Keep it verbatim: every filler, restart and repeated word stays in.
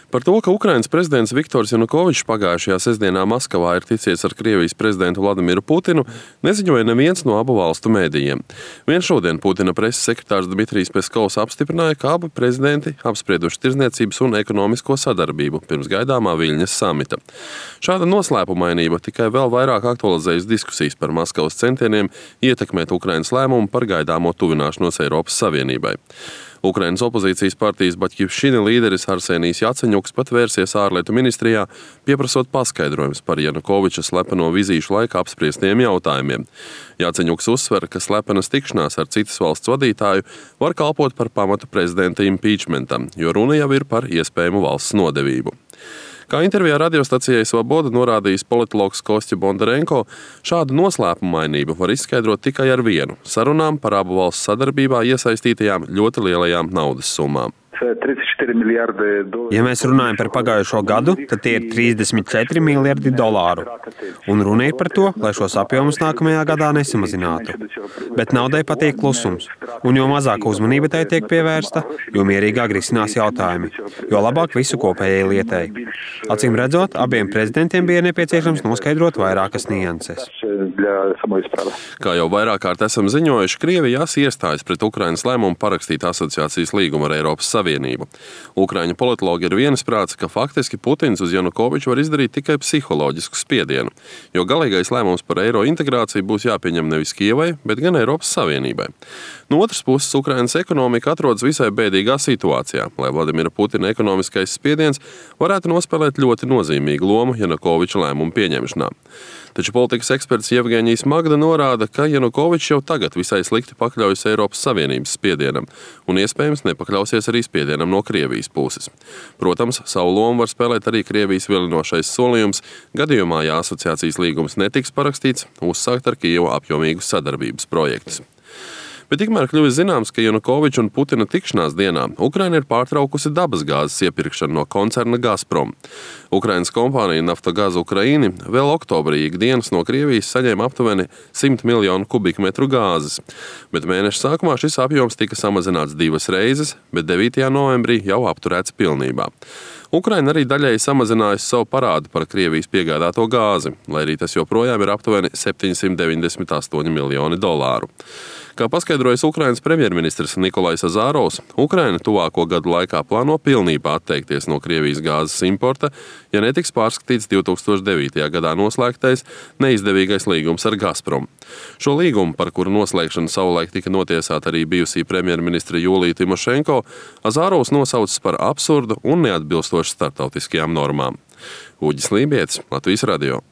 Par to, ka Ukrainas prezidents Viktors Janukovičs pagājušajā sestdienā Maskavā ir ticies ar Krievijas prezidentu Vladimiru Putinu, neziņoja neviens no abu valstu mēdījiem. Vien šodien Putina preses sekretārs Dmitrijs Peskovs apstiprināja, ka abi prezidenti apsprieduši tirdzniecības un ekonomisko sadarbību pirms gaidāmā Viļņas samita. Šāda noslēpumainība tikai vēl vairāk aktualizējas diskusijas par Maskavas centieniem ietekmēt Ukrainas lēmumu par gaidāmo tuvināšanos Eiropas Savienībai. Ukrainas opozīcijas partijas Baķivšķina līderis Arsenijs Jaceņuks pat vērsies ārlietu ministrijā, pieprasot paskaidrojumus par Janukoviča slepeno vizīšu laikā apspriestiem jautājumiem. Jaceņuks uzsver, ka slepenas tikšanās ar citas valsts vadītāju var kalpot par pamatu prezidenta impeachmentam, jo runa jau ir par iespējamu valsts nodevību. Kā intervijā radiostacijai Svaboda norādījis politologs Kostja Bondarenko, šādu noslēpumainību var izskaidrot tikai ar vienu – sarunām par abu valstu sadarbībā iesaistītajām ļoti lielajām naudas summām. Ja mēs runājam par pagājušo gadu, tad tie ir trīsdesmit četri miljardi dolāru. Un runa ir par to, lai šos apjomus nākamajā gadā nesamazinātu. Bet naudai patīk klusums. Un jo mazāk uzmanība tai tiek pievērsta, jo mierīgāk risinās jautājumi. Jo labāk visu kopējai lietai. Acīm redzot, abiem prezidentiem bija nepieciešams noskaidrot vairākas nianses. Kā jau vairāk kārt esam ziņojuši, Krievijas iestājas pret Ukrainas lēmumu parakstīt asociācijas līgumu ar Eiropas Savienību. Ukraiņu politologi ir viensprāts, ka faktiski Putins uz Janukoviču var izdarīt tikai psiholoģisku spiedienu, jo galīgais lēmums par eiro integrāciju būs jāpieņem nevis Kievai, bet gan Eiropas Savienībai. No otras puses, Ukrainas ekonomika atrodas visai bēdīgā situācijā, lai Vladimira Putina ekonomiskais spiediens varētu nospēlēt ļoti nozīmīgu lomu Janukoviča lēmumu pieņemšanā. Taču politikas eksperts Jevgeņijs Magda norāda, ka Janukovičs jau tagad visai slikti pakļaujas Eiropas Savienības spiedienam un iespējams nepakļausies arī spiedienam no Krievijas puses. Protams, savu lomu var spēlēt arī Krievijas vilinošais solījums, gadījumā, ja asociācijas līgums netiks parakstīts, uzsākt ar Kijevu apjomīgus sadarbības projektus. Bet tikmēr kļuvis zināms, ka Janukoviča un Putina tikšanās dienā Ukraina ir pārtraukusi dabasgāzes iepirkšanu no koncerna Gazprom. Ukrainas kompānija Naftogaz Ukraini vēl oktobrī ikdienas no Krievijas saņēma aptuveni simt miljonu kubikmetru gāzes, bet mēneša sākumā šis apjoms tika samazināts divas reizes, bet devītajā novembrī jau apturēts pilnībā. Ukraina arī daļēji samazinājusi savu parādu par Krievijas piegādāto gāzi, lai arī tas joprojām ir aptuveni septiņsimt deviņdesmit astoņi miljoni dolāru. Kā paskaidrojas Ukrainas premjerministrs Nikolais Azarovs, Ukraina tuvāko gadu laikā plāno pilnībā atteikties no Krievijas gāzes importa, ja netiks pārskatīts divi tūkstoši devītajā gadā noslēgtais neizdevīgais līgums ar Gazprom. Šo līgumu, par kuru noslēgšanu savulaik tika notiesāta arī bijusī premjerministra Julija Timošenko, Azarovs nosaucis par absurdu un neatbilstošu starptautiskajām normām. Uģis Lībietis, Latvijas radio.